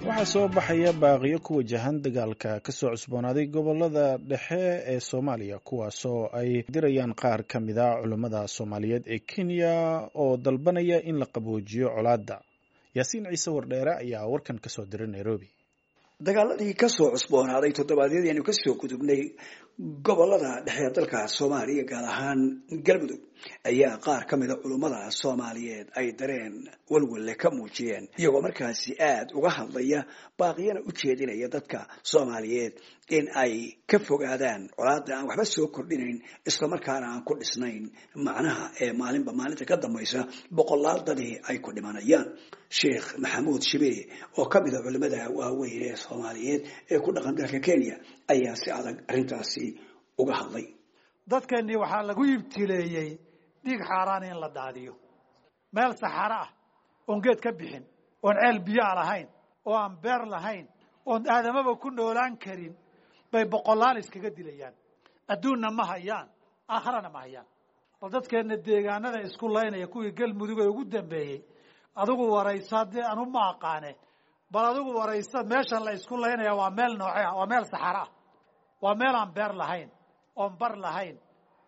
Waxaa soo baxaya baaqiyo ku wajahan dagaalka ka soo cusboonaaday gobolada dhexe ee Soomaaliya, kuwaasoo ay dirayaan qaar ka mid a culummada Soomaaliyeed ee Kenya oo dalbanaya in la qaboojiyo colaadda. Yaasiin Ciise Wardheere ayaa warkan ka soo diray Nairobi. Dagaaladii kasoo cusboonaaday toddobaadyadii aynu kasoo gudubnay gobolada dhexe ee dalka Soomaaliya, gaar ahaan Galmudug, ayaa qaar ka mida culummada Soomaaliyeed ay dareen walwalle ka muujiyeen, iyagoo markaasi aada uga hadlaya, baaqiyana u jeedinaya dadka Soomaaliyeed in ay ka fogaadaan colaada aan waxba soo kordhinayn, islamarkaana aan ku dhisnayn macnaha ee maalinba maalinta ka dambaysa boqolaal dadii ay ku dhimanayaan. Sheekh Maxamuud Shibee oo ka mida culimada waaweyn ee Soomaaliyeed ee ku dhaqan dalka Kenya ayaa si adag arrintaasi uga hadlay. Dadkeennii waxaa lagu ibtileeyey dhiig xaaraan in la daadiyo, meel saxaro ah oon geed ka bixin, oon ceel biyoa lahayn, oo aan beer lahayn, oon aadamaba ku noolaan karin bay boqolaal iskaga dilayaan. Adduunna ma hayaan, aakharana ma hayaan. Bal dadkeenna deegaanada isku laynaya, kuwii Galmudug ee ugu dambeeyey, adigu waraysa, dee anu ma aqaane, bal adigu waraysa, meesha la isku laynaya waa meel nooce ah? Waa meel saxaro ah, waa meel aan beer lahayn, oon bar lahayn,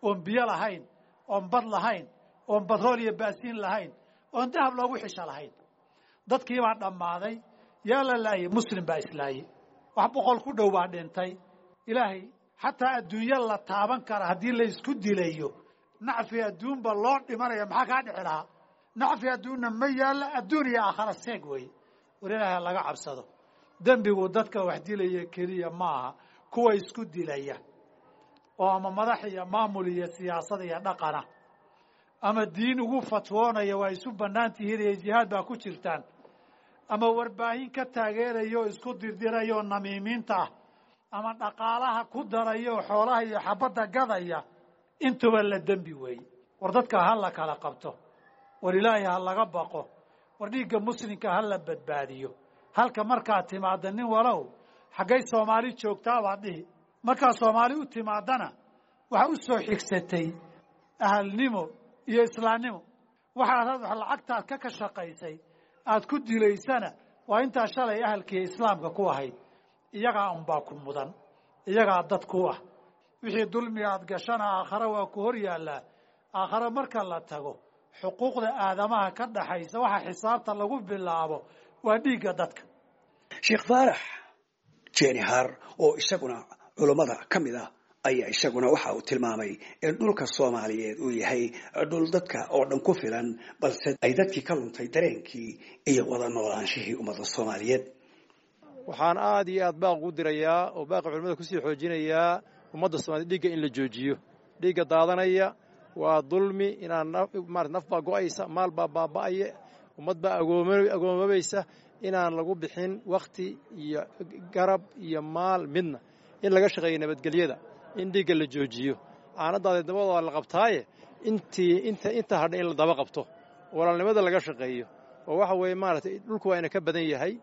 oon biyo lahayn, oon bad lahayn, oon batrool iyo baasiin lahayn, oon dahab loogu xisho lahayn. Dadkiibaa dhammaaday. Yaa la laayey? Muslim baa islaayey. Wax 100 ku dhow baa dhintay. Ilaahay xataa adduunyo la taaban kara haddii la isku dilayo, nacfi adduunba loo dhimanaya, maxaa kaa dhici lahaa? Nacfi adduunna ma yaalla, adduun iyo aakhara seeg weeye. War Ilaahay laga cabsado. Dembigu dadka wax dilaya keliya maaha, kuwa isku dilaya oo ama madax iyo maamul iyo siyaasad iyo dhaqana ama diin ugu fatwoonaya waa isu bannaan tihiin iyo jihaad baa ku jirtaan, ama warbaahin ka taageeraya oo isku dirdiraya oo namiimiinta ah, ama dhaqaalaha ku daraya oo xoolaha iyo xabadda gadaya, intuba la dembi weeye. War dadka ha la kala qabto, war Ilaahay ha laga baqo, war dhiigga muslimka ha la badbaadiyo. Halka markaad timaadda, nin walow xaggay Soomaali joogtaa baad dhihi. Markaad Soomaali u timaadana, waxaa u soo xigsatay ahalnimo iyo islaamnimo. Waxaad lacagtaad ka shaqaysay aad ku dilaysana waa intaa shalay ahalkiiyo islaamka ku ahayd. Iyagaa unbaa ku mudan, iyagaa dad ku ah. Wixii dulmiga aad gashana aakhare waa ku hor yaallaa. Aakhare marka la tago, xuquuqda aadamaha ka dhaxaysa waxa xisaabta lagu bilaabo waa dhiigga dadka. Sheekh Faarax Jenihar oo isaguna culummada ka mid ah ayaa isaguna waxa uu tilmaamay in dhulka Soomaaliyeed uu yahay dhul dadka oo dhan ku filan, balse ay dadkii ka luntay dareenkii iyo wada noolaanshihii ummadda Soomaaliyeed. Waxaan aad iyo aad baaq ugu dirayaa oo baaqa culimmada kusii xoojinayaa ummadda Somaliyed dhiigga in la joojiyo. Dhiigga daadanaya waa dulmi. Inaan marat naf baa go'aysa, maal baa baaba'aya, ummad baa agoomabaysa. Inaan lagu bixin wakhti iyo garab iyo maal midna, in laga shaqeeyo nabadgelyada, in dhiigga la joojiyo. Caanadaada dabadooda la qabtaaye, intii inta inta hadha in la daba qabto, walaalnimada laga shaqeeyo. Oo waxa weeye maaragtay, dhulku waa ina ka badan yahay,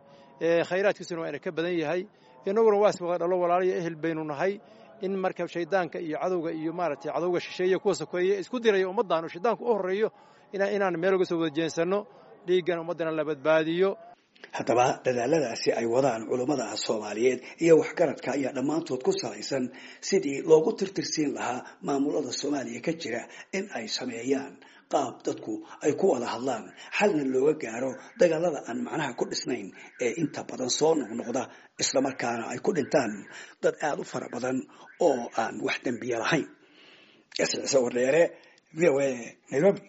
khayraadkiisuna waa ina ka badan yahay, innaguna waa is wada dhalo, walaaliyo ehel baynu nahay. In marka shaydaanka iyo cadowga iyo maaragtay cadowga shisheeye, kuwa sokeeye isku diraya ummaddan oo shaydaanku u horreeyo, inaan meel uga soo wada jeensanno, dhiiggan ummaddana la badbaadiyo. Haddaba dadaaladaasi ay wadaan culummada Soomaaliyeed iyo waxgaradka ayaa dhammaantood ku salaysan sidii loogu tirtirsiin lahaa maamulada Soomaaliya ka jira in ay sameeyaan qaab dadku ay ku wada hadlaan, xalna looga gaaro dagaalada aan macnaha ku dhisnayn ee inta badan soo noqnoqda, islamarkaana ay ku dhintaan dad aada u fara badan oo aan wax dembiya lahayn. Wardheere, VOA, Nairobi.